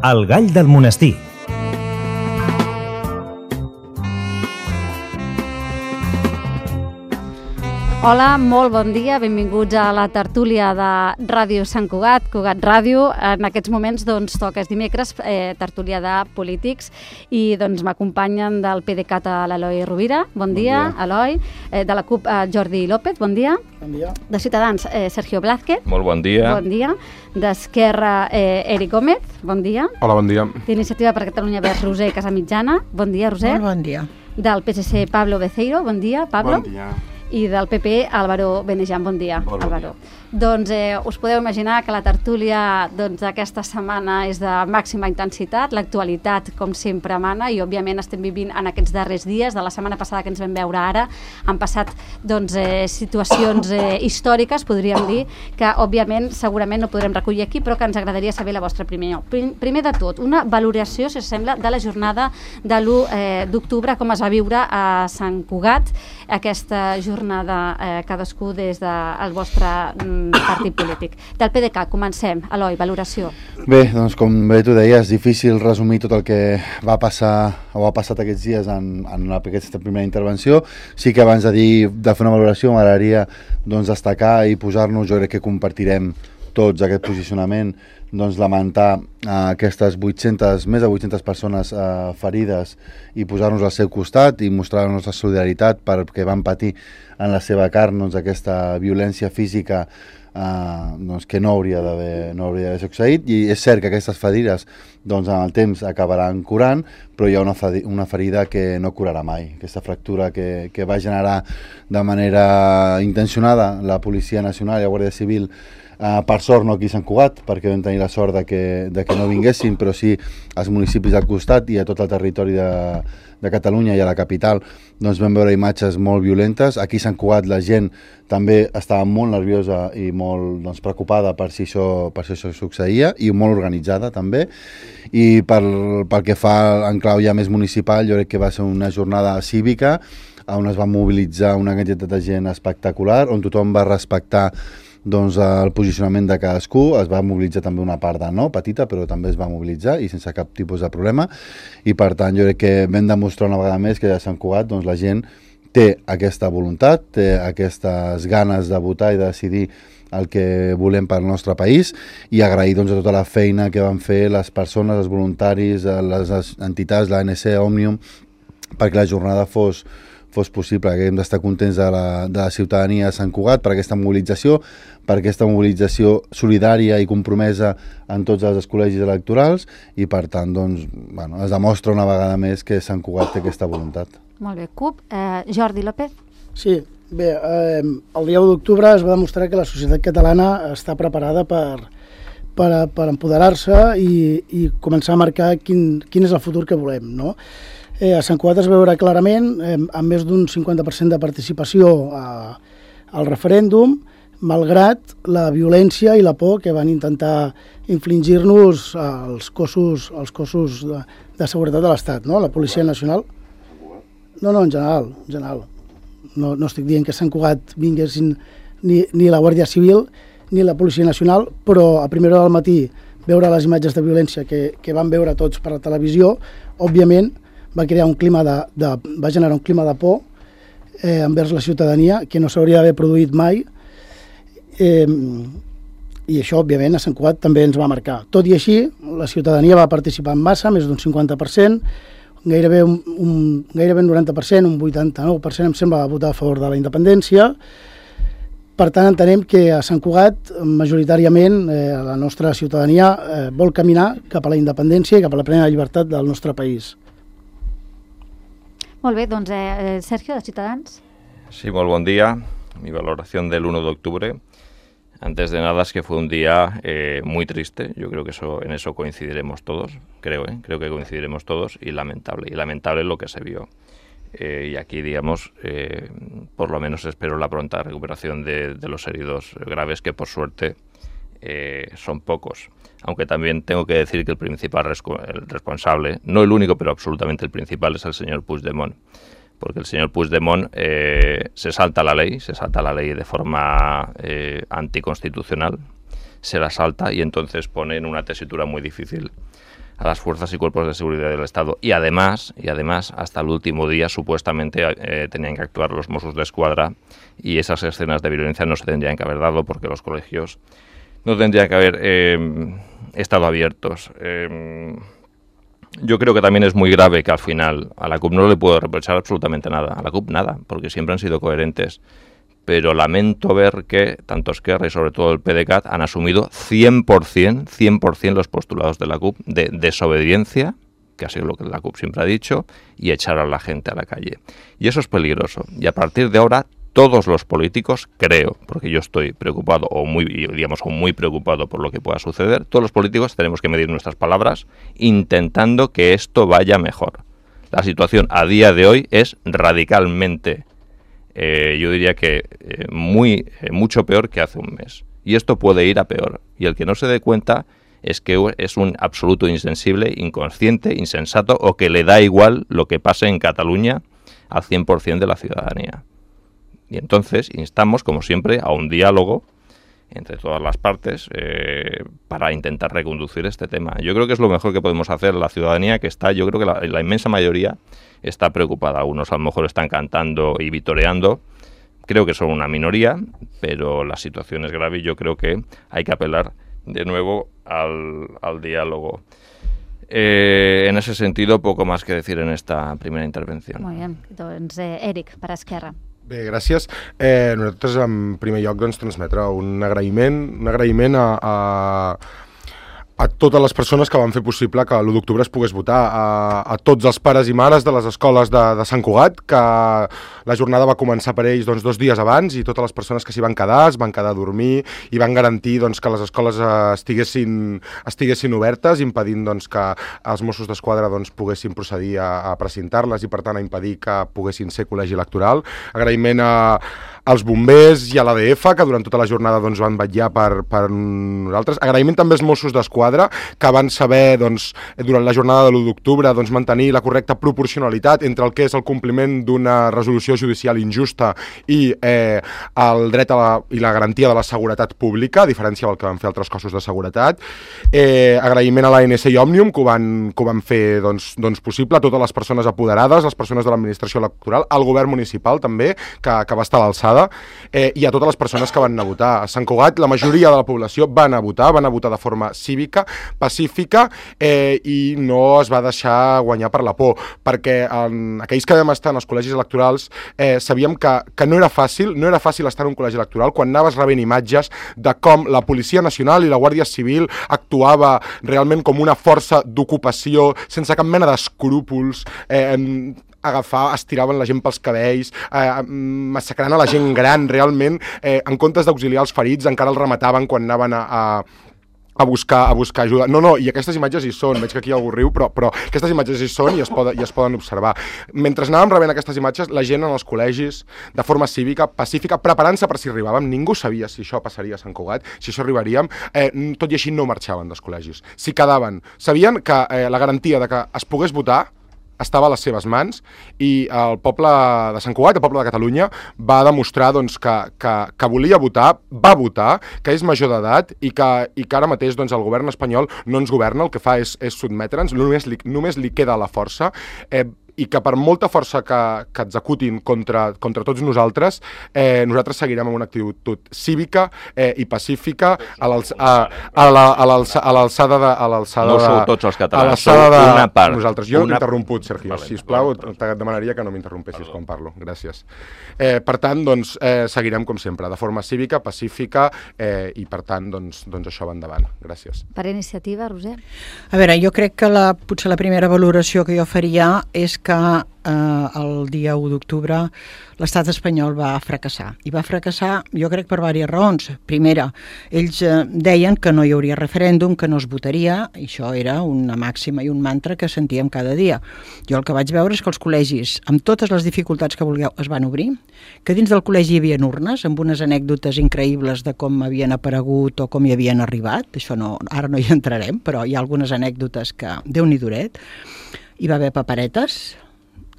El gall del monestir. Hola, molt bon dia, benvinguts a la tertúlia de Ràdio Sant Cugat, Cugat Ràdio. En aquests moments toca, és dimecres, tertúlia de polítics, i m'acompanyen del PDeCAT l'Eloi Rovira, bon dia, Eloi, de la CUP Jordi López, bon dia. Bon dia. De Ciutadans, Sergio Blázquez. Molt bon dia. Bon dia. D'Esquerra, Eric Gómez, bon dia. Hola, bon dia. D'Iniciativa per Catalunya Verds, Roser Casamitjana, bon dia, Roser. Molt bon dia. Del PSC, Pablo Beceiro, bon dia, Pablo. Bon dia. I del PP, Álvaro Benejan. Bon dia, Álvaro. Us podeu imaginar que la tertúlia d'aquesta setmana és de màxima intensitat, l'actualitat, com sempre, mana, i òbviament estem vivint en aquests darrers dies, de la setmana passada que ens vam veure ara, han passat situacions històriques, podríem dir, que òbviament segurament no podrem recollir aquí, però que ens agradaria saber la vostra opinió. Primer de tot, una valoració, si us sembla, de la jornada de l'1 d'octubre, com es va viure a Sant Cugat, aquesta jornada, cadascú des del vostre partit polític. Del PDeCAT, comencem. Eloi, valoració. Bé, doncs com bé tu deies, és difícil resumir tot el que va passar o ha passat aquests dies en aquesta primera intervenció. Sí que abans de fer una valoració m'agradaria destacar i posar-nos, jo crec que compartirem tots aquest posicionament, lamentar aquestes més de 800 persones ferides i posar-nos al seu costat i mostrar la nostra solidaritat perquè van patir en la seva carn aquesta violència física que no hauria d'haver succeït, i és cert que aquestes ferides amb el temps acabaran curant, però hi ha una ferida que no curarà mai, aquesta fractura que va generar de manera intencionada la Policia Nacional i la Guàrdia Civil, per sort no aquí a Sant Cugat, perquè vam tenir la sort de que no vinguessin, però sí als municipis al costat i a tot el territori de Catalunya i a la capital, vam veure imatges molt violentes. Aquí a Sant Cugat la gent també estava molt nerviosa i molt preocupada per si això succeïa, i molt organitzada també. I pel que fa en clau ja més municipal, jo crec que va ser una jornada cívica on es va mobilitzar una quantitat de gent espectacular, on tothom va respectar el posicionament de cadascú. Es va mobilitzar també una part petita, però també es va mobilitzar i sense cap tipus de problema, i per tant jo crec que vam demostrar una vegada més que a Sant Cugat la gent té aquesta voluntat, té aquestes ganes de votar i de decidir el que volem pel nostre país, i agrair a tota la feina que van fer les persones, els voluntaris, les entitats, l'ANC, Òmnium, perquè la jornada fos possible, que hem d'estar contents de la ciutadania de Sant Cugat per aquesta mobilització solidària i compromesa en tots els col·legis electorals, i per tant es demostra una vegada més que Sant Cugat té aquesta voluntat. Molt bé. CUP, Jordi López. Sí, bé, el dia 1 d'octubre es va demostrar que la societat catalana està preparada per empoderar-se i començar a marcar quin és el futur que volem, no? A Sant Cugat es veurà clarament, amb més d'un 50% de participació al referèndum, malgrat la violència i la por que van intentar infligir-nos els cossos de seguretat de l'Estat, no? La Policia Nacional. No, en general. No estic dient que a Sant Cugat vinguessin ni la Guàrdia Civil ni la Policia Nacional, però a primera hora del matí veure les imatges de violència que vam veure tots per la televisió, òbviament va generar un clima de por envers la ciutadania que no s'hauria d'haver produït mai, i això, òbviament, a Sant Cugat també ens va marcar. Tot i així, la ciutadania va participar en massa, més d'un 50%, gairebé un 90%, un 89%, em sembla, va votar a favor de la independència. Per tant, entenem que a Sant Cugat, majoritàriament, la nostra ciutadania vol caminar cap a la independència i cap a la plena llibertat del nostre país. Molt bé, Sergio, de Ciutadans. Sí, muy buen día. Mi valoración del 1 de octubre. Antes de nada es que fue un día muy triste. Yo creo que en eso coincidiremos todos. Creo que coincidiremos todos. Y lamentable lo que se vio. Y aquí, digamos, por lo menos espero la pronta recuperación de los heridos graves, que por suerte son pocos. Aunque también tengo que decir que el principal responsable, no el único, pero absolutamente el principal, es el señor Puigdemont. Porque el señor Puigdemont se salta la ley de forma anticonstitucional, se la salta y entonces pone en una tesitura muy difícil a las fuerzas y cuerpos de seguridad del Estado. Y además hasta el último día supuestamente tenían que actuar los Mossos d'Esquadra y esas escenas de violencia no se tendrían que haber dado porque los colegios no tendrían que haber estado abiertos. Yo creo que también es muy grave que al final a la CUP no le puedo reprochar absolutamente nada. A la CUP nada, porque siempre han sido coherentes. Pero lamento ver que tanto Esquerra y sobre todo el PDeCAT han asumido 100% los postulados de la CUP de desobediencia, que ha sido lo que la CUP siempre ha dicho, y echar a la gente a la calle. Y eso es peligroso. Y a partir de ahora, todos los políticos, creo, porque yo estoy preocupado o muy preocupado por lo que pueda suceder, todos los políticos tenemos que medir nuestras palabras intentando que esto vaya mejor. La situación a día de hoy es radicalmente yo diría que mucho peor que hace un mes. Y esto puede ir a peor. Y el que no se dé cuenta es que es un absoluto insensible, inconsciente, insensato, o que le da igual lo que pase en Cataluña al 100% de la ciudadanía. Y entonces instamos, como siempre, a un diálogo entre todas las partes para intentar reconducir este tema. Yo creo que es lo mejor que podemos hacer. La ciudadanía que está, yo creo que la inmensa mayoría está preocupada. Algunos a lo mejor están cantando y vitoreando. Creo que son una minoría, pero la situación es grave y yo creo que hay que apelar de nuevo al diálogo. En ese sentido, poco más que decir en esta primera intervenció. Molt bé, doncs Eric, per Esquerra. Bé, gràcies. Nosaltres, en primer lloc, doncs, transmetre un agraïment a totes les persones que van fer possible que l'1 d'octubre es pogués votar, a tots els pares i mares de les escoles de Sant Cugat, que la jornada va començar per ells 2 dies abans, i totes les persones que s'hi van quedar, es van quedar a dormir i van garantir que les escoles estiguessin obertes, impedint que els Mossos d'Esquadra poguessin procedir a precintar-les i, per tant, a impedir que poguessin ser col·legi electoral. Agraïment als bombers i a l'ADF, que durant tota la jornada van vetllar per nosaltres. Agraïment també als Mossos d'Esquadra, que van saber durant la jornada de l'1 d'octubre mantenir la correcta proporcionalitat entre el que és el compliment d'una resolució judicial injusta i el dret i la garantia de la seguretat pública, a diferència del que van fer altres cossos de seguretat. Agraïment a l'ANC i Òmnium, que ho van fer possible, a totes les persones apoderades, les persones de l'administració electoral, al govern municipal també, que va estar a l'alçada, i a totes les persones que van anar a votar. A Sant Cugat la majoria de la població van anar a votar de forma cívica, pacífica, i no es va deixar guanyar per la por, perquè aquells que vam estar en els col·legis electorals sabíem que no era fàcil estar en un col·legi electoral quan anaves rebent imatges de com la Policia Nacional i la Guàrdia Civil actuava realment com una força d'ocupació sense cap mena d'escrúpols, estiraven la gent pels cabells, massacrant a la gent gran, realment, en comptes d'auxiliar els ferits, encara els remataven quan anaven a buscar ajuda. No, i aquestes imatges hi són, veig que aquí algú riu, però aquestes imatges hi són i es poden observar. Mentre anàvem rebent aquestes imatges, la gent en els col·legis, de forma cívica, pacífica, preparant-se per si arribàvem, ningú sabia si això passaria a Sant Cugat, si això arribaríem, tot i així no marxaven dels col·legis. Si quedaven, sabien que la garantia de que es pogués votar estava a les seves mans, i el poble de Sant Cugat, el poble de Catalunya, va demostrar que volia votar, va votar, que és major d'edat i que ara mateix el govern espanyol no ens governa, el que fa és sotmetre'ns, només li queda la força, i que per molta força que executin contra tots nosaltres, nosaltres seguirem amb una actitud cívica i pacífica a l'alçada de... No sou tots els catalans, sou una part. Nosaltres. Jo no t'he interromput, Sergio. Sisplau, et demanaria que no m'interrompessis quan parlo. Gràcies. Per tant, seguirem com sempre, de forma cívica, pacífica, i per tant, això va endavant. Gràcies. Per iniciativa, Roser? A veure, jo crec que potser la primera valoració que jo faria és que el dia 1 d'octubre l'estat espanyol va fracassar. I va fracassar, jo crec, per diverses raons. Primera, ells deien que no hi hauria referèndum, que no es votaria, i això era una màxima i un mantra que sentíem cada dia. Jo el que vaig veure és que els col·legis, amb totes les dificultats que vulgueu, es van obrir, que dins del col·legi hi havia urnes, amb unes anècdotes increïbles de com havien aparegut o com hi havien arribat. Això ara no hi entrarem, però hi ha algunes anècdotes que Déu-n'hi-duret. Hi va haver paperetes,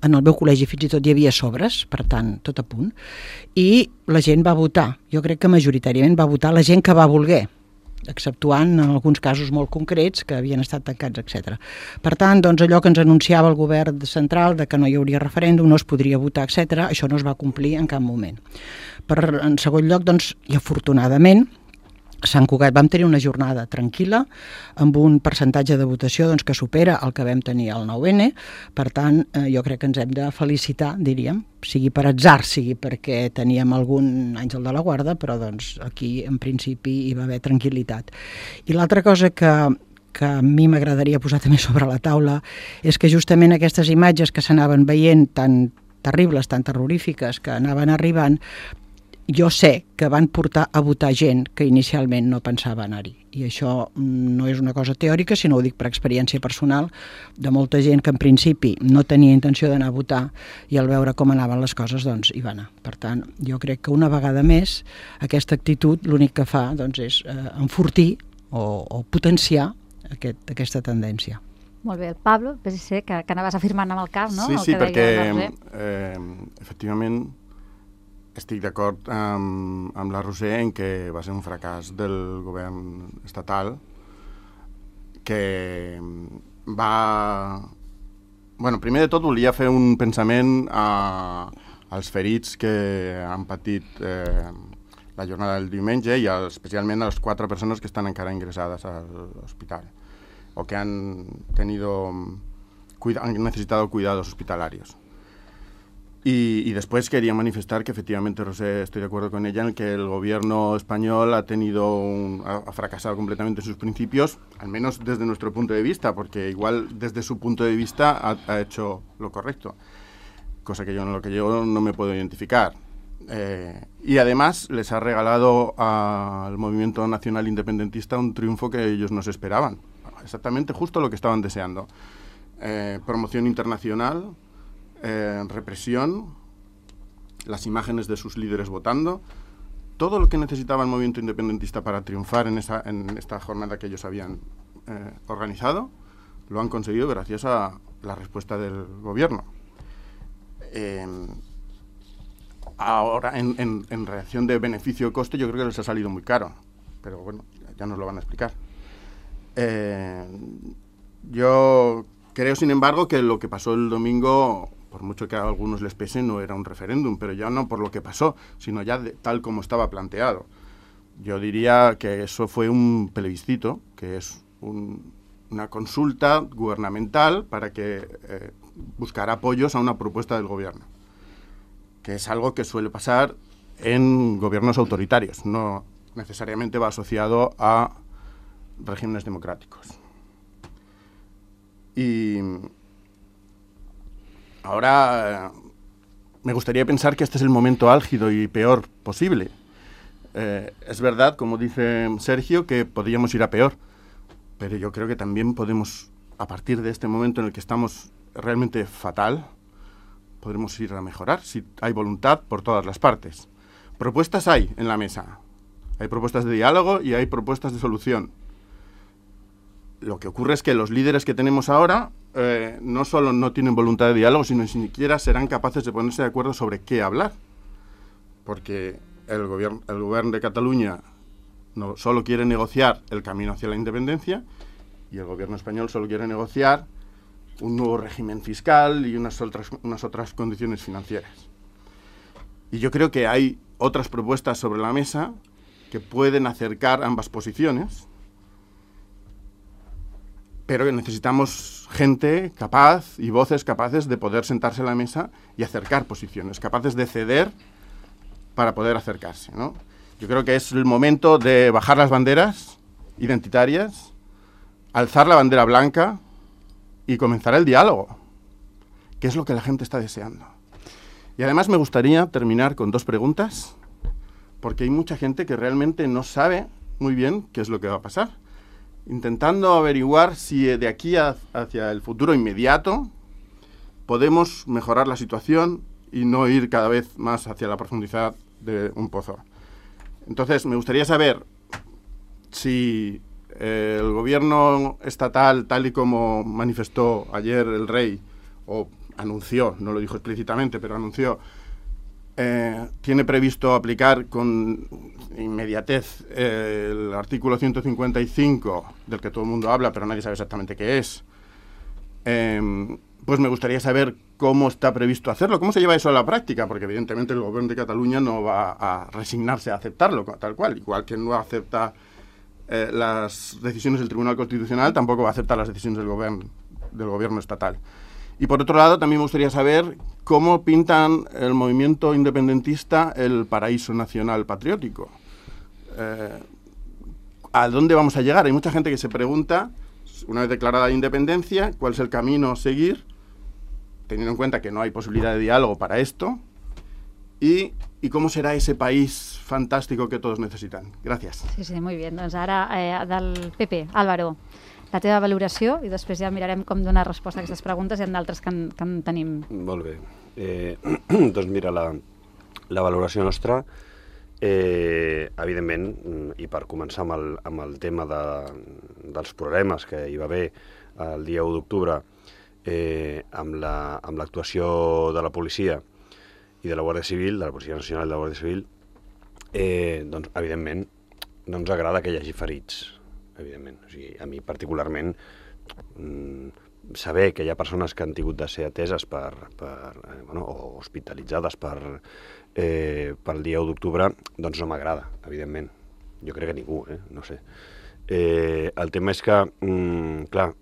en el meu col·legi fins i tot hi havia sobres, per tant, tot a punt, i la gent va votar. Jo crec que majoritàriament va votar la gent que va voler. exceptuant en alguns casos molt concrets que havien estat tancats, etc. Per tant, doncs, allò que ens anunciava el govern central de que no hi hauria referèndum, no es podria votar, etc., això no es va complir en cap moment. En segon lloc, doncs, i afortunadament, a Sant Cugat vam tenir una jornada tranquil·la amb un percentatge de votació doncs, que supera el que vam tenir al 9N. Per tant, jo crec que ens hem de felicitar, diríem, sigui per atzar, sigui perquè teníem algun àngel de la guarda, però doncs, aquí en principi hi va haver tranquil·litat. I l'altra cosa que a mi m'agradaria posar també sobre la taula és que justament aquestes imatges que s'anaven veient tan terribles, tan terrorífiques, que anaven arribant, jo sé que van portar a votar gent que inicialment no pensava anar-hi. I això no és una cosa teòrica, sinó ho dic per experiència personal de molta gent que en principi no tenia intenció d'anar a votar i al veure com anaven les coses doncs hi va anar. Per tant, jo crec que una vegada més aquesta actitud l'únic que fa doncs, és enfortir o potenciar aquesta tendència. Molt bé, el Pablo, PSC, que anaves afirmant amb el cap, no? Sí, perquè efectivament estic d'acord amb la Roser en que va ser un fracàs del govern estatal que va... Bueno, primer de tot volia fer un pensament als ferits que han patit la jornada del diumenge i especialment a les 4 persones que estan encara ingressades a l'hospital o que han necesitado cuidados hospitalarios. Y después quería manifestar que efectivamente, Rosé, estoy de acuerdo con ella en que el gobierno español ha fracasado completamente en sus principios, al menos desde nuestro punto de vista, porque igual desde su punto de vista ha hecho lo correcto, cosa que yo no me puedo identificar. Y además les ha regalado al movimiento nacional independentista un triunfo que ellos no se esperaban, exactamente justo lo que estaban deseando. Promoción internacional, represión, las imágenes de sus líderes votando, todo lo que necesitaba el movimiento independentista para triunfar en esta jornada que ellos habían organizado, lo han conseguido gracias a la respuesta del gobierno. Ahora, en relación de beneficio-coste, yo creo que les ha salido muy caro, pero bueno, ya nos lo van a explicar. Yo creo, sin embargo, que lo que pasó el domingo, por mucho que a algunos les pese, no era un referéndum, pero ya no por lo que pasó, sino ya tal como estaba planteado. Yo diría que eso fue un plebiscito, que es una consulta gubernamental para que buscar apoyos a una propuesta del gobierno, que es algo que suele pasar en gobiernos autoritarios, no necesariamente va asociado a regímenes democráticos. Y ahora me gustaría pensar que este es el momento álgido y peor posible. Es verdad, como dice Sergio, que podríamos ir a peor, pero yo creo que también podemos, a partir de este momento en el que estamos realmente fatal, podremos ir a mejorar si hay voluntad por todas las partes. Propuestas hay en la mesa. Hay propuestas de diálogo y hay propuestas de solución. Lo que ocurre es que los líderes que tenemos ahora no solo no tienen voluntad de diálogo, sino ni siquiera serán capaces de ponerse de acuerdo sobre qué hablar. Porque el gobierno de Cataluña no solo quiere negociar el camino hacia la independencia y el gobierno español solo quiere negociar un nuevo régimen fiscal y unas otras condiciones financieras. Y yo creo que hay otras propuestas sobre la mesa que pueden acercar ambas posiciones, pero que necesitamos gente capaz y voces capaces de poder sentarse a la mesa y acercar posiciones, capaces de ceder para poder acercarse, ¿no? Yo creo que es el momento de bajar las banderas identitarias, alzar la bandera blanca y comenzar el diálogo, que es lo que la gente está deseando. Y además me gustaría terminar con 2 preguntas, porque hay mucha gente que realmente no sabe muy bien qué es lo que va a pasar, intentando averiguar si de aquí hacia el futuro inmediato podemos mejorar la situación y no ir cada vez más hacia la profundidad de un pozo. Entonces, me gustaría saber si el gobierno estatal, tal y como manifestó ayer el rey, o anunció, no lo dijo explícitamente, pero anunció tiene previsto aplicar con inmediatez el artículo 155, del que todo el mundo habla, pero nadie sabe exactamente qué es. Pues me gustaría saber cómo está previsto hacerlo, cómo se lleva eso a la práctica, porque evidentemente el Gobierno de Cataluña no va a resignarse a aceptarlo tal cual, igual que no acepta las decisiones del Tribunal Constitucional, tampoco va a aceptar las decisiones del gobierno estatal. Y por otro lado, también me gustaría saber cómo pintan el movimiento independentista el paraíso nacional patriótico. ¿A dónde vamos a llegar? Hay mucha gente que se pregunta, una vez declarada la independencia, cuál es el camino a seguir, teniendo en cuenta que no hay posibilidad de diálogo para esto, y cómo será ese país fantástico que todos necesitan. Gràcies. Sí, muy bien. Doncs ara del PP, Álvaro, la teva valoració i després ja mirarem com donar resposta a aquestes preguntes i en d'altres que en tenim. Molt bé. Doncs mira, la valoració nostra, evidentment, i per començar amb el tema dels problemes que hi va haver el dia 1 d'octubre amb l'actuació de la policia i de la Guàrdia Civil, de la Policia Nacional i de la Guàrdia Civil, doncs, evidentment, no ens agrada que hi hagi ferits, evidentment. O sigui, a mi particularment, saber que hi ha persones que han tingut de ser ateses o hospitalitzades pel dia 1 d'octubre, doncs no m'agrada, evidentment. Jo crec que ningú, no sé. El tema és que, clar,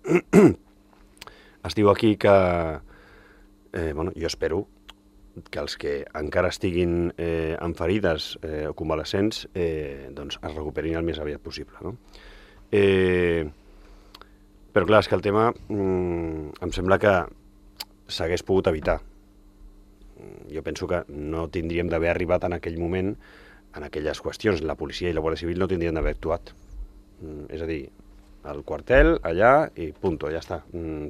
es diu aquí que, jo espero que els que encara estiguin amb ferides o convalescents doncs es recuperin el més aviat possible, no? Però clar, és que el tema em sembla que s'hagués pogut evitar. Jo penso que no tindríem d'haver arribat en aquell moment en aquelles qüestions. La policia i la Guàrdia Civil no tindrien d'haver actuat. És a dir, al quartel, allà, i punto, ja està.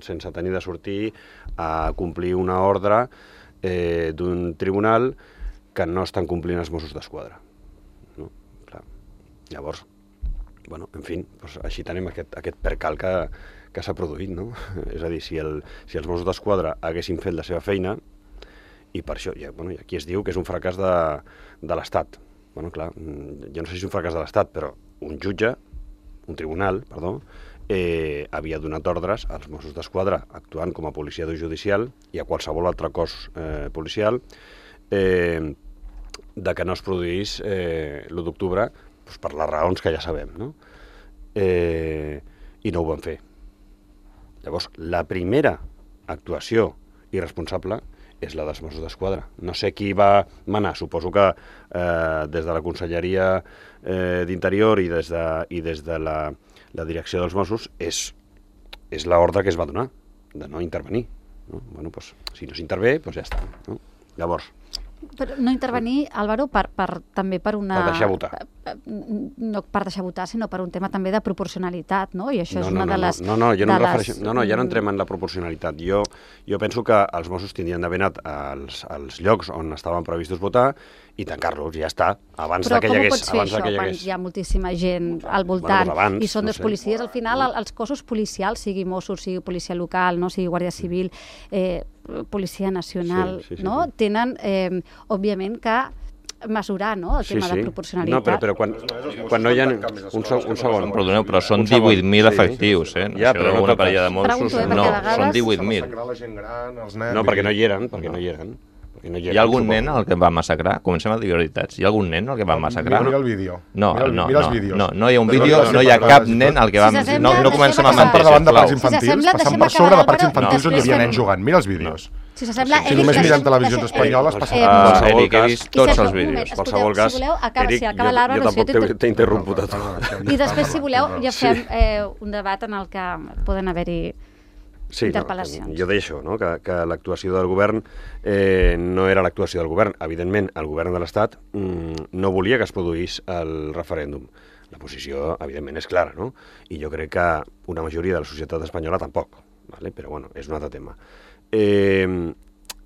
Sense tenir de sortir a complir una ordre d'un tribunal que no estan complint els Mossos d'Esquadra. No? Clar. Llavors, bueno, en fi, doncs així tenim aquest percal que s'ha produït, no? És a dir, si els Mossos d'Esquadra haguessin fet la seva feina, i per això, i aquí es diu que és un fracàs de l'Estat. Bueno, clar, jo no sé si és un fracàs de l'Estat, però un tribunal, havia donat ordres als Mossos d'Esquadra, actuant com a policia judicial i a qualsevol altre cos policial, de que no es produís l'1 d'octubre per les raons que ja sabem, no? I no ho van fer. Llavors, la primera actuació irresponsable és la dels Mossos d'Esquadra. No sé qui va manar, suposo que des de la Conselleria d'Interior i des de la direcció dels Mossos és l'ordre que es va donar, de no intervenir. No? Bueno, doncs, si no s'intervé, doncs ja està. No? Llavors... Però no intervenir, Álvaro, també per una... Per deixar votar. No per deixar votar, sinó per un tema també de proporcionalitat, no? I això és una de les... jo no em refereixo... No, ja no entrem en la proporcionalitat. Jo penso que els Mossos tindrien d'haver anat als llocs on estaven previstos votar i tancar-los, ja està, abans que hi hagués... Però com ho pots fer això, quan hi ha moltíssima gent al voltant i són dos policies? Al final, els cossos policials, sigui Mossos, sigui policia local, sigui Guàrdia Civil, Policia Nacional, no? Tenen, òbviament, que mesurar, no?, el tema de proporcionalitat. No, però quan no hi ha... Un segon. Perdoneu, però són 18.000 efectius, Ja, però no una parella de Mossos, no, són 18.000. No, perquè no hi eren. Hi ha algun nen al que va massacrar? Comencem a dir veritats. Hi ha algun nen al que va massacrar? Mira el vídeo. No hi ha un vídeo, no hi ha cap nen al que va... No comencem a mentir, per davant de parcs infantils, passant per sobre de parcs infantils on hi havia nens jugant. Mira els vídeos. Si s'assembla... Si només mirem televisions espanyoles, passa per... Eric, he vist tots els vídeos. Qualsevol cas, Eric, jo tampoc t'he interromput a tu. I després, si voleu, ja fem un debat en el que poden haver-hi interpel·lacions. Jo deia això, no? Que l'actuació del govern no era l'actuació del govern. Evidentment, el govern de l'Estat no volia que es produís el referèndum. La posició, evidentment, és clara, no? I jo crec que una majoria de la societat espanyola tampoc, però bueno, és un altre tema.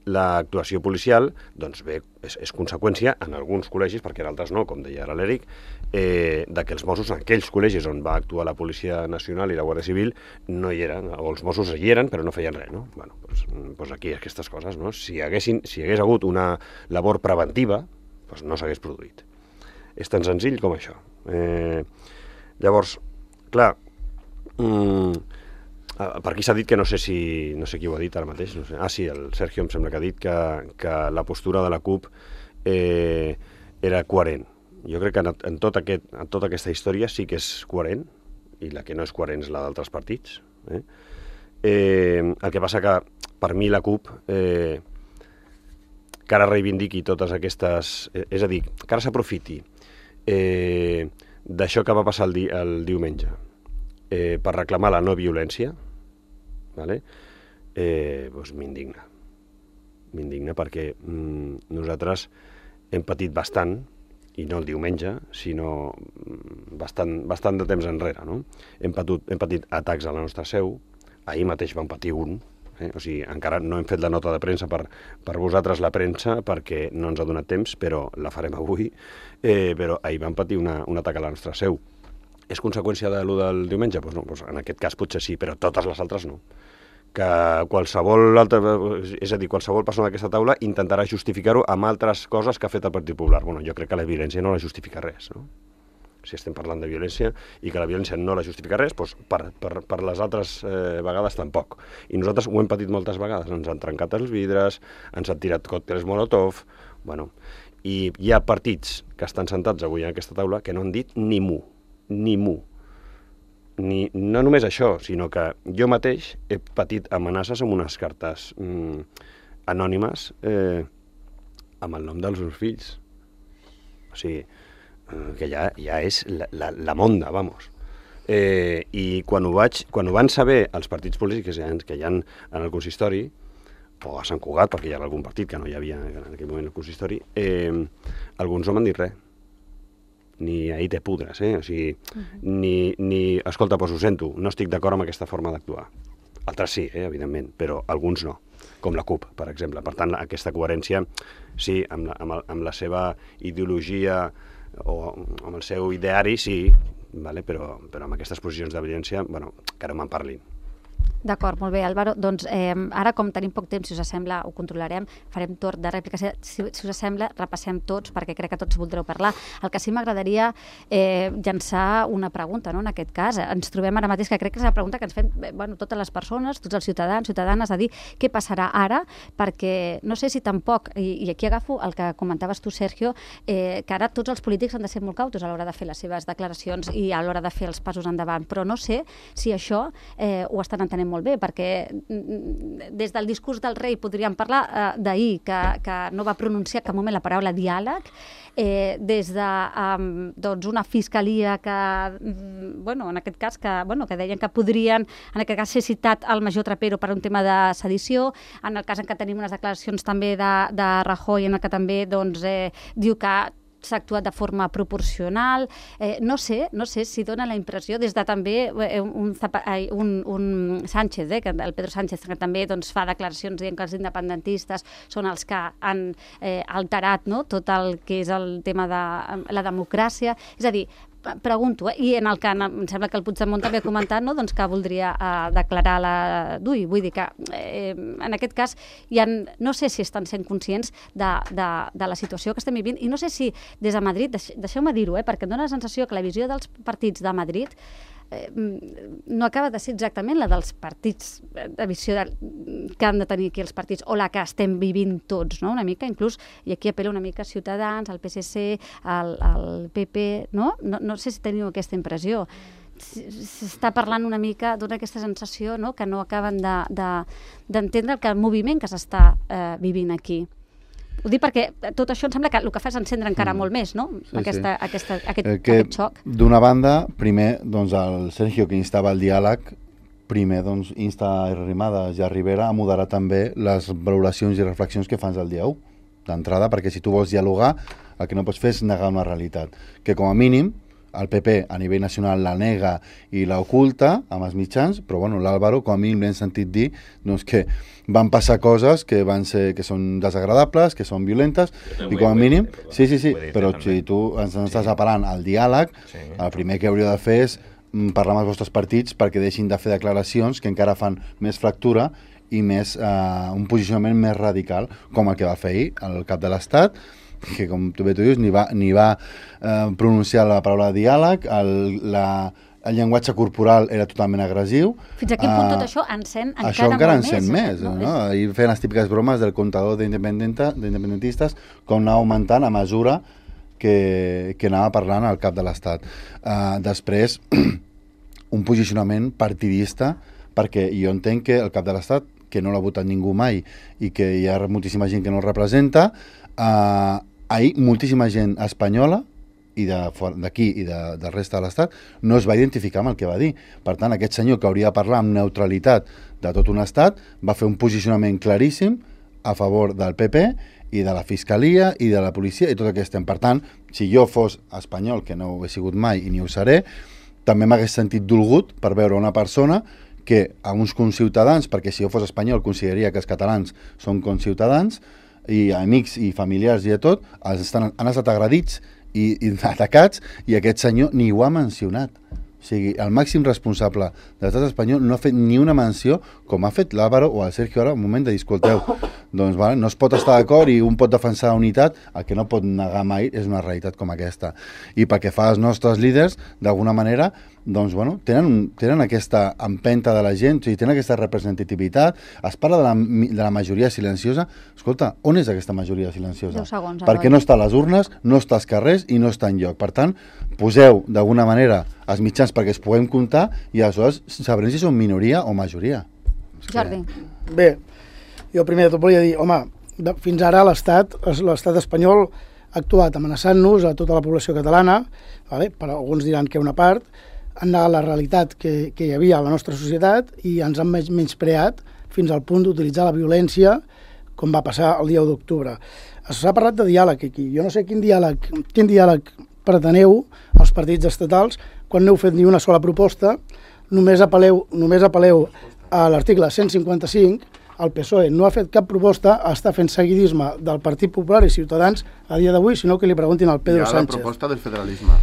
l'actuació policial doncs bé, és conseqüència en alguns col·legis, perquè en altres no, com deia ara l'Eric, de que els Mossos en aquells col·legis on va actuar la Policia Nacional i la Guàrdia Civil no hi eren, o els Mossos hi eren però no feien res, no? Bueno, doncs aquí aquestes coses, no? Si hagués hagut una labor preventiva, doncs no s'hagués produït. És tan senzill com això. Llavors, clar, per aquí s'ha dit que no sé qui ho ha dit ara mateix, no sé. Sí, el Sergio em sembla que ha dit que la postura de la CUP era coherent. Jo crec que en tota aquesta història sí que és coherent, i la que no és coherent és la d'altres partits. El que passa que per mi la CUP que ara reivindiqui totes aquestes... És a dir, que ara s'aprofiti d'això que va passar el diumenge per reclamar la no violència, vale? Doncs m'indigna. M'indigna perquè nosaltres hem patit bastant, i no el diumenge, sinó bastant de temps enrere, no? Hem patit atacs a la nostra seu, ahir mateix vam patir un, o sigui, encara no hem fet la nota de premsa per vosaltres la premsa, perquè no ens ha donat temps, però la farem avui, però ahir vam patir un atac a la nostra seu. És conseqüència de lo del diumenge? Doncs no, en aquest cas potser sí, però totes les altres no. Que qualsevol persona d'aquesta taula intentarà justificar-ho amb altres coses que ha fet el Partit Popular. Bueno, jo crec que la violència no la justifica res, no? Si estem parlant de violència i que la violència no la justifica res, doncs per les altres vegades tampoc. I nosaltres ho hem patit moltes vegades. Ens han trencat els vidres, ens han tirat còctels Molotov... Bueno, i hi ha partits que estan sentats avui en aquesta taula que no han dit ni mu. No només això, sinó que jo mateix he patit amenaces amb unes cartes anònimes amb el nom dels meus fills. O sigui, que ja és la monda, vamos. I quan ho van saber els partits polítics que hi ha en el consistori, o a Sant Cugat, perquè hi ha algun partit que no hi havia en aquell moment al consistori, alguns no m'han dit res. Ni ahir te pudres, o sigui, ni escolta, doncs ho sento, no estic d'acord amb aquesta forma d'actuar. Altres sí, evidentment, però alguns no, com la CUP, per exemple. Per tant, aquesta coherència, sí, amb la seva ideologia o amb el seu ideari, sí, però amb aquestes posicions de violència, que no me'n parlin. D'acord, molt bé, Álvaro. Doncs ara, com tenim poc temps, si us sembla, ho controlarem, farem torn de rèplica. Si us sembla, repassem tots, perquè crec que tots voldreu parlar. El que sí m'agradaria llançar una pregunta, no?, en aquest cas. Ens trobem ara mateix, que crec que és la pregunta que ens fem totes les persones, tots els ciutadans, ciutadanes, a dir què passarà ara, perquè no sé si tampoc, i aquí agafo el que comentaves tu, Sergio, que ara tots els polítics han de ser molt cautos a l'hora de fer les seves declaracions i a l'hora de fer els passos endavant, però no sé si això ho estan entenent molt bé, perquè des del discurs del rei podríem parlar d'ahir, que no va pronunciar cap moment la paraula diàleg, des de una fiscalia que, en aquest cas, que deien que podrien, en aquest cas, ser citat el major Trapero per un tema de sedició, en el cas en què tenim unes declaracions també de Rajoy, en el que també diu que s'ha actuat de forma proporcional. No sé si dona la impressió, des de també un Sánchez, que el Pedro Sánchez, que també fa declaracions dient que els independentistes són els que han alterat tot el que és el tema de la democràcia. És a dir, pregunto, i en el que em sembla que el Puigdemont també ha comentat, que voldria declarar la DUI. Vull dir que en aquest cas no sé si estan sent conscients de la situació que estem vivint, i no sé si des de Madrid, deixeu-me dir-ho, perquè em dóna la sensació que la visió dels partits de Madrid no acaba de ser exactament la dels partits, de visió que han de tenir aquí els partits, o la que estem vivint tots, no? Una mica, inclús, i aquí apel·lo una mica a Ciutadans, al PSC, al PP, no? No sé si teniu aquesta impressió. S'està parlant una mica d'una aquesta sensació, no?, que no acaben d'entendre el moviment que s'està vivint aquí. Ho dic perquè tot això em sembla que el que fa és encendre encara molt més, no?, aquest xoc. D'una banda, primer, el Sergio, que instava el diàleg, primer, insta a Arrimadas i a Rivera a moderar també les valoracions i reflexions que fans el dia 1, d'entrada, perquè si tu vols dialogar, el que no pots fer és negar una realitat, que com a mínim el PP a nivell nacional la nega i la oculta amb els mitjans, però bueno, l'Álvaro com a mínim l'hem sentit dir doncs, que van passar coses que són desagradables, que són violentes, i com a mínim... Sí, però si tu ens estàs apel·lant al diàleg, el primer que hauria de fer és parlar amb els vostres partits perquè deixin de fer declaracions que encara fan més fractura i més un posicionament més radical, com el que va fer ahir el cap de l'Estat, que com tu bé tu dius, ni va pronunciar la paraula diàleg, el llenguatge corporal era totalment agressiu. Fins a quin punt tot això encén això encara encén més. Ahir feien les típiques bromes del comptador d'independentistes com anava augmentant a mesura que anava parlant al cap de l'Estat. Després, un posicionament partidista, perquè jo entenc que el cap de l'Estat, que no l'ha votat ningú mai i que hi ha moltíssima gent que no el representa, ahir moltíssima gent espanyola i d'aquí i del resta de l'Estat no es va identificar amb el que va dir. Per tant, aquest senyor que hauria de parlar amb neutralitat de tot un estat va fer un posicionament claríssim a favor del PP i de la Fiscalia i de la policia i tot el que estem. Per tant, si jo fos espanyol, que no ho he sigut mai i ni ho seré, també m'hagués sentit dolgut per veure una persona que a uns conciutadans, perquè si jo fos espanyol consideraria que els catalans són conciutadans, i amics i familiars i de tot, han estat agredits i atacats, i aquest senyor ni ho ha mencionat. O sigui, el màxim responsable de l'estat espanyol no ha fet ni una menció, com ha fet l'Álvaro o el Sergio ara, un moment de dir, escolteu, doncs vale, no es pot estar d'acord i un pot defensar la unitat, el que no pot negar mai és una realitat com aquesta. I pel que fa als nostres líders, d'alguna manera, doncs, bueno, tenen aquesta empenta de la gent, o sigui, tenen aquesta representativitat. Es parla de la majoria silenciosa. Escolta, on és aquesta majoria silenciosa? 10 segons, perquè no està a les urnes, no està als carrers i no està enlloc. Per tant, poseu d'alguna manera els mitjans perquè es puguem comptar i aleshores sabrem si són minoria o majoria. Jordi. Bé, jo primer de tot volia dir, home, fins ara l'estat espanyol ha actuat amenaçant-nos a tota la població catalana, vale? Però alguns diran que una part, han negat la realitat que hi havia a la nostra societat i ens han menyspreat fins al punt d'utilitzar la violència com va passar el dia 1 d'octubre. S'ha parlat de diàleg aquí. Jo no sé quin diàleg preteneu els partits estatals quan no heu fet ni una sola proposta, només apel·leu a l'article 155, el PSOE no ha fet cap proposta, està fent seguidisme del Partit Popular i Ciutadans a dia d'avui, sinó que li preguntin al Pedro Sánchez. Hi ha la proposta del federalisme.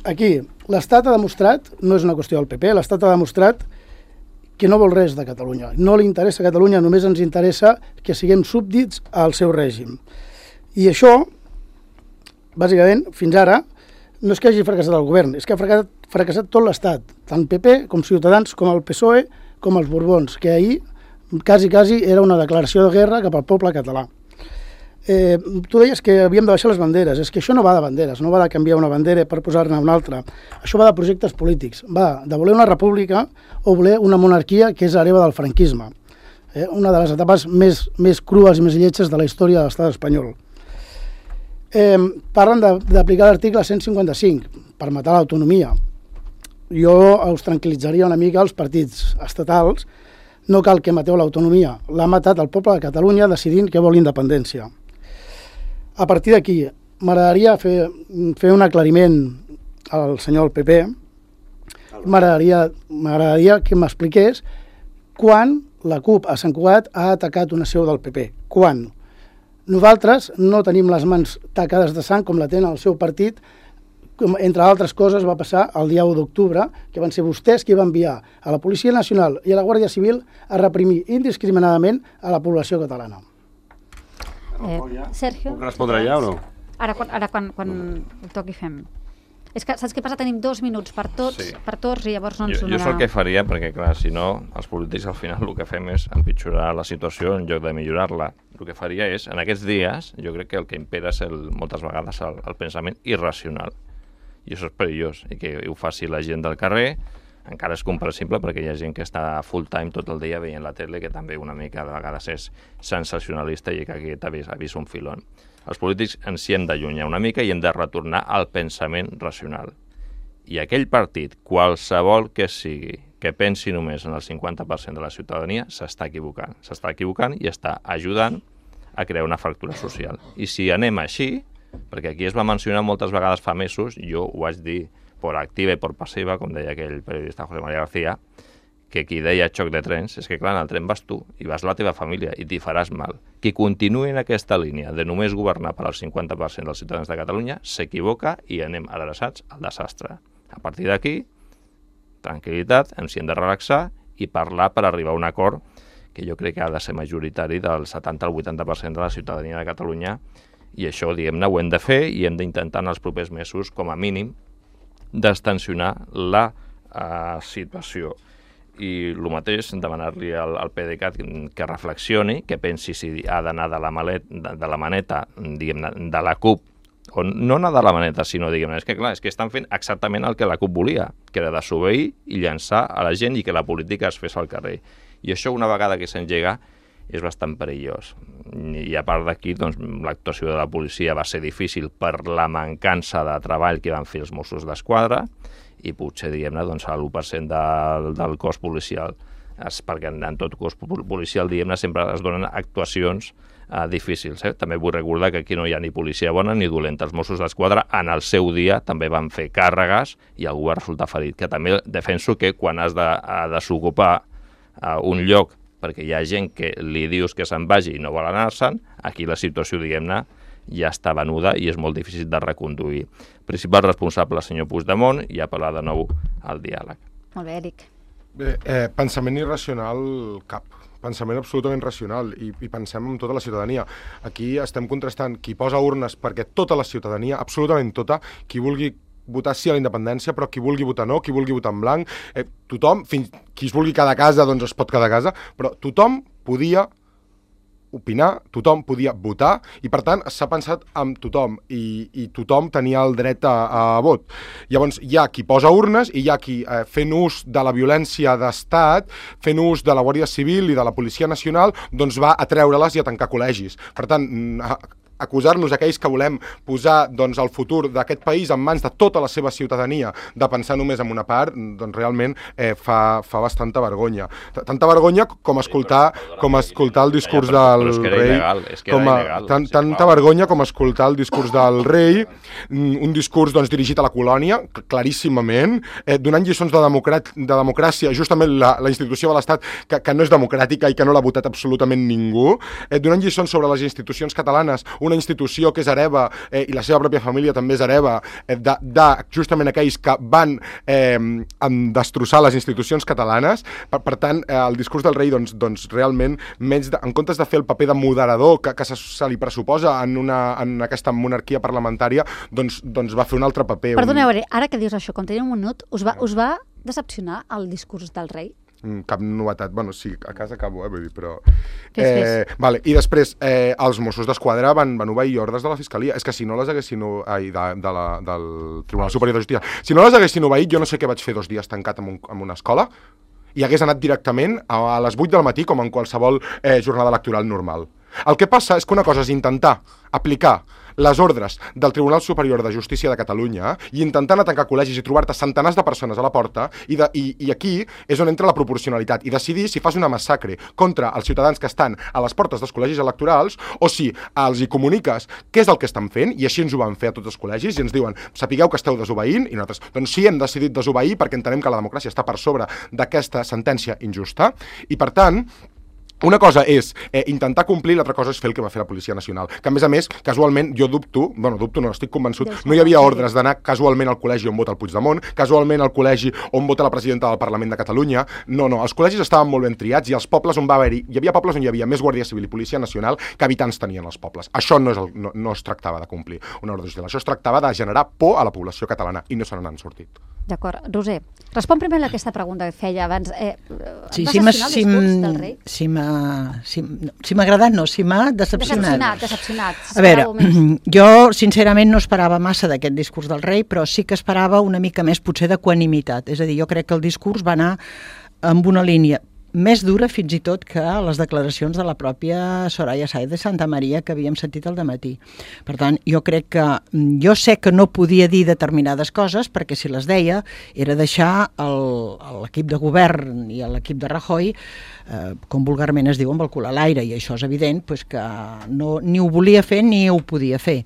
Aquí, l'Estat ha demostrat, no és una qüestió del PP, l'Estat ha demostrat que no vol res de Catalunya. No li interessa Catalunya, només ens interessa que siguem súbdits al seu règim. I això, bàsicament, fins ara, no és que hagi fracassat el govern, és que ha fracassat tot l'Estat, tant PP com Ciutadans, com el PSOE, com els Borbons, que ahir quasi era una declaració de guerra cap al poble català. Tu deies que havíem de baixar les banderes. És que això no va de banderes, no va de canviar una bandera per posar-ne una altra. Això va de projectes polítics. Va de voler una república o voler una monarquia que és l'hereva del franquisme. Una de les etapes més crues i més lletges de la història de l'estat espanyol. Parlen d'aplicar l'article 155 per matar l'autonomia. Jo us tranquil·litzaria una mica als partits estatals. No cal que mateu l'autonomia. L'ha matat el poble de Catalunya decidint que vol independència. A partir d'aquí, m'agradaria fer un aclariment al senyor del PP. M'agradaria que m'expliqués quan la CUP a Sant Cugat ha atacat una seu del PP. Quan? Nosaltres no tenim les mans tacades de sang com la tenen el seu partit. Entre altres coses va passar el dia 1 d'octubre, que van ser vostès qui van enviar a la Policia Nacional i a la Guàrdia Civil a reprimir indiscriminadament a la població catalana. Sergio? Puc respondre ja o no? Ara quan el toqui fem. És que saps què passa? Tenim 2 minuts per tots i llavors no ens donarà... Jo és el que faria, perquè clar, si no, els polítics al final el que fem és empitjorar la situació en lloc de millorar-la. El que faria és, en aquests dies, jo crec que el que impera és moltes vegades el pensament irracional. I això és perillós, i que ho faci la gent del carrer, encara és comprensible perquè hi ha gent que està full time tot el dia veient la tele, que també una mica de vegades és sensacionalista i que aquí ha vist un filon. Els polítics ens hi hem d'allunyar una mica i hem de retornar al pensament racional. I aquell partit, qualsevol que sigui, que pensi només en el 50% de la ciutadania, s'està equivocant. S'està equivocant i està ajudant a crear una fractura social. I si anem així, perquè aquí es va mencionar moltes vegades fa mesos, jo ho vaig dir por activa i por passiva, com deia aquell periodista José María García, que qui deia xoc de trens, és que clar, en el tren vas tu i vas la teva família i t'hi faràs mal. Qui continuï en aquesta línia de només governar per al 50% dels ciutadans de Catalunya s'equivoca i anem adreçats al desastre. A partir d'aquí, tranquil·litat, ens hi hem de relaxar i parlar per arribar a un acord que jo crec que ha de ser majoritari del 70 al 80% de la ciutadania de Catalunya, i això, diguem-ne, ho hem de fer i hem d'intentar en els propers mesos, com a mínim, destensionar la situació. I el mateix, demanar-li al PDeCAT que reflexioni, que pensi si ha d'anar de la maneta, diguem-ne, de la CUP, o no anar de la maneta, sinó, diguem-ne, és que estan fent exactament el que la CUP volia, que era desobeir i llançar a la gent i que la política es fes al carrer. I això, una vegada que s'engega, és bastant perillós. I a part d'aquí, doncs, l'actuació de la policia va ser difícil per la mancança de treball que van fer els Mossos d'Esquadra, i potser, diguem-ne, doncs, l'1% del cos policial, perquè en tot cos policial, diguem-ne, sempre es donen actuacions difícils. També vull recordar que aquí no hi ha ni policia bona ni dolenta. Els Mossos d'Esquadra, en el seu dia, també van fer càrregues i algú va resultar ferit. Que també defenso que quan has de desocupar un lloc perquè hi ha gent que li dius que se'n vagi i no vol anar-se'n, aquí la situació, diguem-ne, ja està venuda i és molt difícil de reconduir. Principal responsable, senyor Puigdemont, i apel·lar de nou al diàleg. Molt bé, Eric. Bé, pensament irracional cap. Pensament absolutament racional i pensem en tota la ciutadania. Aquí estem contrastant qui posa urnes perquè tota la ciutadania, absolutament tota, qui vulgui votar sí a la independència, però qui vulgui votar no, qui vulgui votar en blanc, tothom, qui es vulgui quedar a casa, doncs es pot quedar a casa, però tothom podia opinar, tothom podia votar i per tant s'ha pensat amb tothom i tothom tenia el dret a vot. Llavors hi ha qui posa urnes i hi ha qui fent ús de la violència d'estat, fent ús de la Guàrdia Civil i de la Policia Nacional, doncs va a treure-les i a tancar col·legis. Per tant, acusar-nos aquells que volem posar doncs, el futur d'aquest país en mans de tota la seva ciutadania de pensar només en una part, doncs realment fa bastanta vergonya. Tanta vergonya com escoltar el discurs del rei. Tanta vergonya com escoltar el discurs del rei, un discurs doncs, dirigit a la colònia, claríssimament, donant lliçons de democràcia, justament la institució de l'Estat que no és democràtica i que no l'ha votat absolutament ningú, donant lliçons sobre les institucions catalanes, una institució que és hereva i la seva pròpia família també és hereva de justament aquells que van destrossar les institucions catalanes. Per tant, el discurs del rei doncs realment, en comptes de fer el paper de moderador que se li pressuposa en aquesta monarquia parlamentària, doncs va fer un altre paper. Perdoneu, ara que dius això, quan tenia un minut, us va decepcionar el discurs del rei? Cap novetat. Bueno, sí, a casa acabo, vull dir, però... Fes. Vale. I després, els Mossos d'Esquadra van obeir ordres de la Fiscalia. És que si no les haguessin... del Tribunal Superior de Justícia. Si no les haguessin obeït, jo no sé què vaig fer 2 dies tancat en una escola i hagués anat directament a les 8 del matí com en qualsevol jornada electoral normal. El que passa és que una cosa és intentar aplicar les ordres del Tribunal Superior de Justícia de Catalunya i intentant tancar col·legis i trobar-te centenars de persones a la porta i aquí és on entra la proporcionalitat i decidir si fas una massacre contra els ciutadans que estan a les portes dels col·legis electorals o si els hi comuniques què és el que estan fent, i així ens ho van fer a tots els col·legis i ens diuen, sapigueu que esteu desobeint, i nosaltres, doncs sí, hem decidit desobeir perquè entenem que la democràcia està per sobre d'aquesta sentència injusta i per tant una cosa és intentar complir, l'altra cosa és fer el que va fer la Policia Nacional, que a més, casualment, jo dubto, no, estic convençut, no hi havia ordres d'anar casualment al col·legi on vota el Puigdemont, casualment al col·legi on vota la presidenta del Parlament de Catalunya, no, els col·legis estaven molt ben triats i els pobles on va haver-hi, hi havia pobles on hi havia més Guàrdia Civil i Policia Nacional que habitants tenien els pobles. Això no es tractava de complir una ordre judicial, això es tractava de generar por a la població catalana i no se n'han sortit. D'acord. Roser, respon primer a aquesta pregunta que feia abans. Sí, va decepcionar el discurs del rei? Si m'ha agradat, no, si m'ha decepcionat. Decepcionat. A veure, jo sincerament no esperava massa d'aquest discurs del rei, però sí que esperava una mica més potser d'equanimitat. És a dir, jo crec que el discurs va anar amb una línia més dura fins i tot que les declaracions de la pròpia Soraya Sáenz de Santamaría que havíem sentit al dematí. Per tant, jo crec que... Jo sé que no podia dir determinades coses perquè si les deia era deixar l'equip de govern i l'equip de Rajoy, com vulgarment es diu, amb el cul a l'aire, i això és evident que ni ho volia fer ni ho podia fer.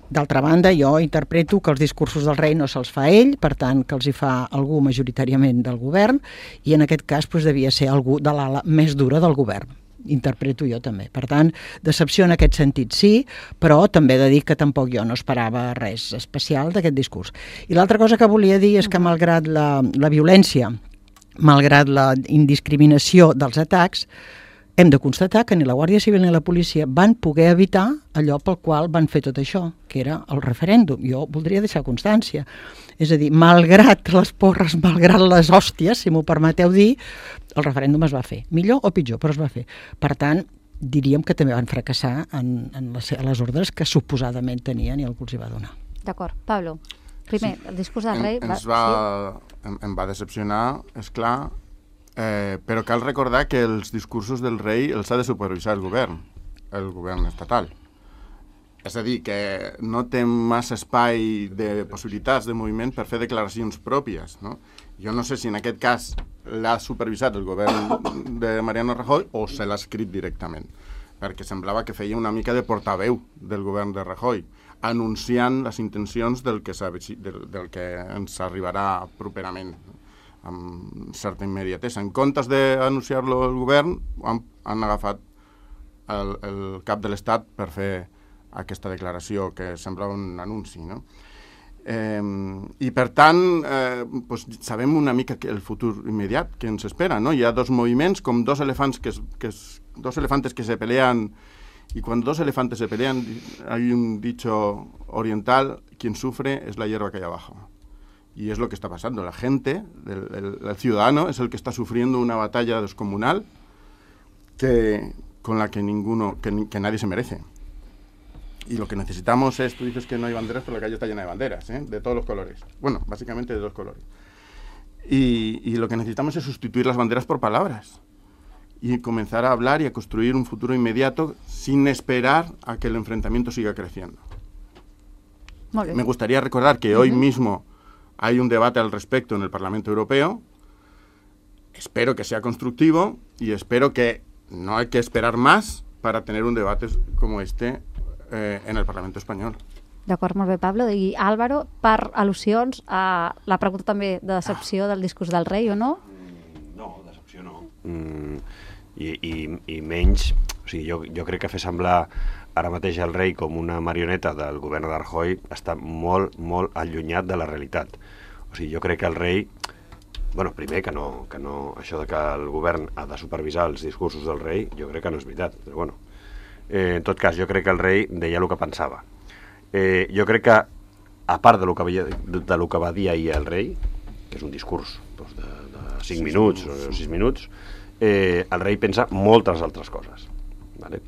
D'altra banda, jo interpreto que els discursos del rei no se'ls fa ell, per tant, que els hi fa algú majoritàriament del govern, i en aquest cas devia ser algú de l'ala més dura del govern. Interpreto jo també. Per tant, decepció en aquest sentit sí, però també he de dir que tampoc jo no esperava res especial d'aquest discurs. I l'altra cosa que volia dir és que malgrat la violència, malgrat la indiscriminació dels atacs, hem de constatar que ni la Guàrdia Civil ni la policia van poder evitar allò pel qual van fer tot això, que era el referèndum. Jo voldria deixar constància. És a dir, malgrat les porres, malgrat les hòsties, si m'ho permeteu dir, el referèndum es va fer. Millor o pitjor, però es va fer. Per tant, diríem que també van fracassar en les ordres que suposadament tenien i algú els hi va donar. D'acord. Pablo, primer, el discurs del rei... Em va decepcionar, és clar, però cal recordar que els discursos del rei els ha de supervisar el govern estatal. És a dir, que no té massa espai de possibilitats de moviment per fer declaracions pròpies, no? Jo no sé si en aquest cas l'ha supervisat el govern de Mariano Rajoy o se l'ha escrit directament, perquè semblava que feia una mica de portaveu del govern de Rajoy, anunciant les intencions del que ens arribarà properament, amb certa immediatesa. En comptes d'anunciar-lo el govern, han agafat el cap de l'Estat per fer aquesta declaració que sembla un anunci, no? I per tant, sabem una mica el futur immediat que ens espera, no? Hi ha dos moviments, com dos elefantes que se pelean, y cuando dos elefantes se pelean, hay un dicho oriental, quien sufre es la hierba que hay abajo. Y es lo que está pasando. La gente, el ciudadano, es el que está sufriendo una batalla descomunal con la que nadie se merece. Y lo que necesitamos es, tú dices que no hay banderas, pero la calle está llena de banderas, de todos los colores. Bueno, básicamente de dos colores. Y lo que necesitamos es sustituir las banderas por palabras y comenzar a hablar y a construir un futuro inmediato sin esperar a que el enfrentamiento siga creciendo. Me gustaría recordar que hoy mismo hay un debate al respecto en el Parlamento Europeo. Espero que sea constructivo y espero que no hay que esperar más para tener un debate como este en el Parlamento espanyol. D'acord, molt bé, Pablo. I Álvaro, per al·lusions a la pregunta també de decepció del discurs del rei, o no? No, decepció no. I menys... O sigui, jo crec que fer semblar ara mateix el rei com una marioneta del govern de Rajoy està molt, molt allunyat de la realitat. O sigui, jo crec que el rei... Bueno, primer que no, això de que el govern ha de supervisar els discursos del rei, jo crec que no és veritat, però bueno. En tot cas, jo crec que el rei deia el que pensava. Jo crec que, a part de lo que va dir ahir el rei, que és un discurs de 5 minuts o 6 minuts, el rei pensa moltes altres coses. Vale?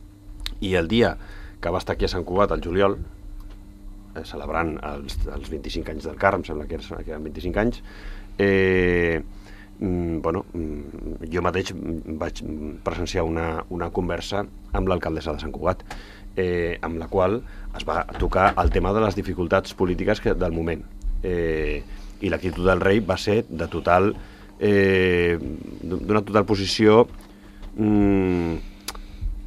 I el dia que va estar aquí a Sant Cugat, al juliol, celebrant els 25 anys del CAR, em sembla que eren 25 anys, jo mateix vaig presenciar una conversa amb l'alcaldessa de Sant Cugat, amb la qual es va tocar el tema de les dificultats polítiques del moment. I l'actitud del rei va ser d'una total posició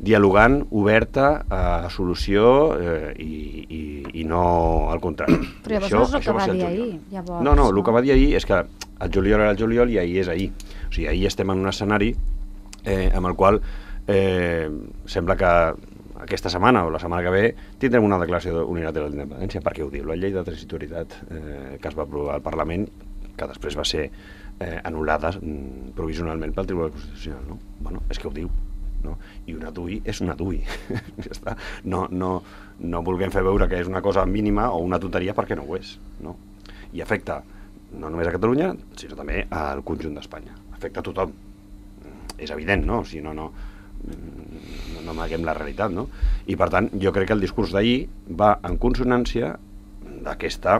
dialogant, oberta a solució i no al contrari. Però llavors no és el que va dir ahir. No, el que va dir ahir és que el juliol era el juliol i ahir és ahir. O sigui, ahir estem en un escenari amb el qual sembla que aquesta setmana o la setmana que ve tindrem una declaració unilateral d'independència, perquè ho diu la llei de transitorietat que es va aprovar al Parlament, que després va ser anul·lada provisionalment pel Tribunal Constitucional. No? Bueno, és que ho diu. No? I una DUI és una DUI. Ja està. No vulguem fer veure que és una cosa mínima o una tonteria perquè no ho és. No? I afecta no només a Catalunya, sinó també al conjunt d'Espanya. Afecta a tothom. És evident, no? O sigui, no amaguem la realitat, no? I per tant, jo crec que el discurs d'ahir va en consonància d'aquesta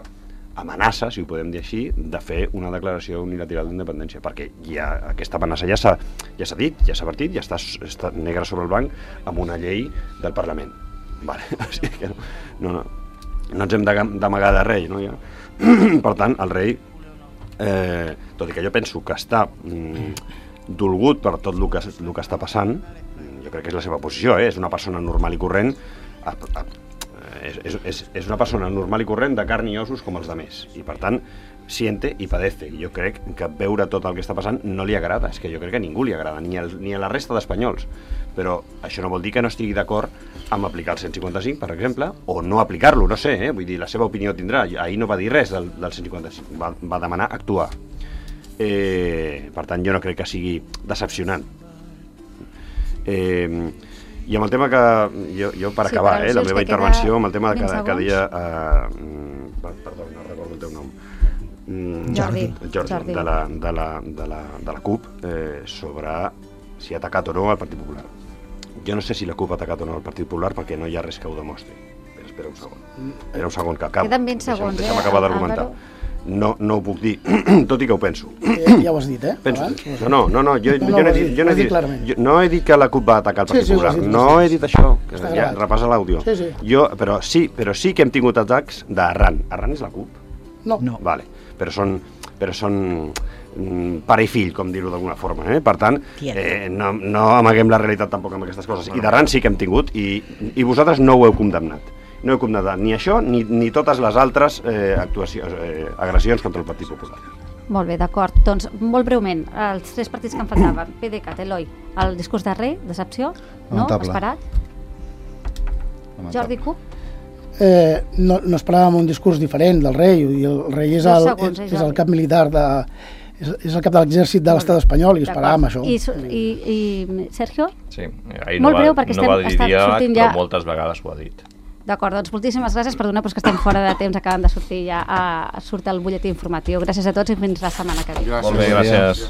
amenaça, si ho podem dir així, de fer una declaració unilateral d'independència, perquè ja aquesta amenaça ja s'ha dit, ja s'ha partit, ja està negre sobre el blanc amb una llei del Parlament. Vale. O sigui que no ens hem d'amagar de rei, no? Ja. Per tant, el rei, tot i que jo penso que està dolgut per tot el que està passant, jo crec que és la seva posició, és una persona normal i corrent, és una persona normal i corrent de carn i ossos com els demés, i per tant siente i padece, i jo crec que veure tot el que està passant no li agrada, és que jo crec que a ningú li agrada, ni a la resta d'espanyols, però això no vol dir que no estigui d'acord amb aplicar el 155, per exemple, o no aplicar-lo, no sé, vull dir, la seva opinió tindrà, ahir no va dir res del 155, va demanar actuar. Per tant, jo no crec que sigui decepcionant. I amb el tema que jo per acabar la meva intervenció, amb el tema que deia perdó, no recordo el teu nom, Jordi de la CUP, sobre si ha atacat o no al Partit Popular. Jo no sé si la CUP ha atacat o no al Partit Popular perquè no hi ha res que ho demostri. Espera un segon que acabo. Queden 20 segons, deixa'm acabar d'argumentar. No ho puc dir, tot i que ho penso. Ja ho has dit, penso. No, no he dit que la CUP va atacar el Partit Popular, no he dit això, que ja repassa l'àudio. Però sí que hem tingut atacs d'Arran. Arran és la CUP? No. Vale, però són pare i fill, com dir-ho d'alguna forma. Per tant, no amaguem la realitat tampoc amb aquestes coses. I d'Arran sí que hem tingut, i vosaltres no ho heu condemnat. No he condemnat ni això ni totes les altres agressions contra el Partit Popular. Molt bé, d'acord. Doncs, molt breument, els 3 partits que em faltaven. PDeCAT, Eloi, el discurs de rei, decepció? No? Esperat? Jordi CUP? No esperàvem un discurs diferent del rei, i el rei és el cap militar és el cap de l'exèrcit de l'estat espanyol i esperàvem això. I Sergio? Sí, ahir no va dir dia, però moltes vegades ho ha dit. D'acord, doncs moltíssimes gràcies, perdona, però és que estem fora de temps, acaben de sortir ja, surt el butlletí informatiu. Gràcies a tots i fins la setmana que ve. Molt bé, gràcies.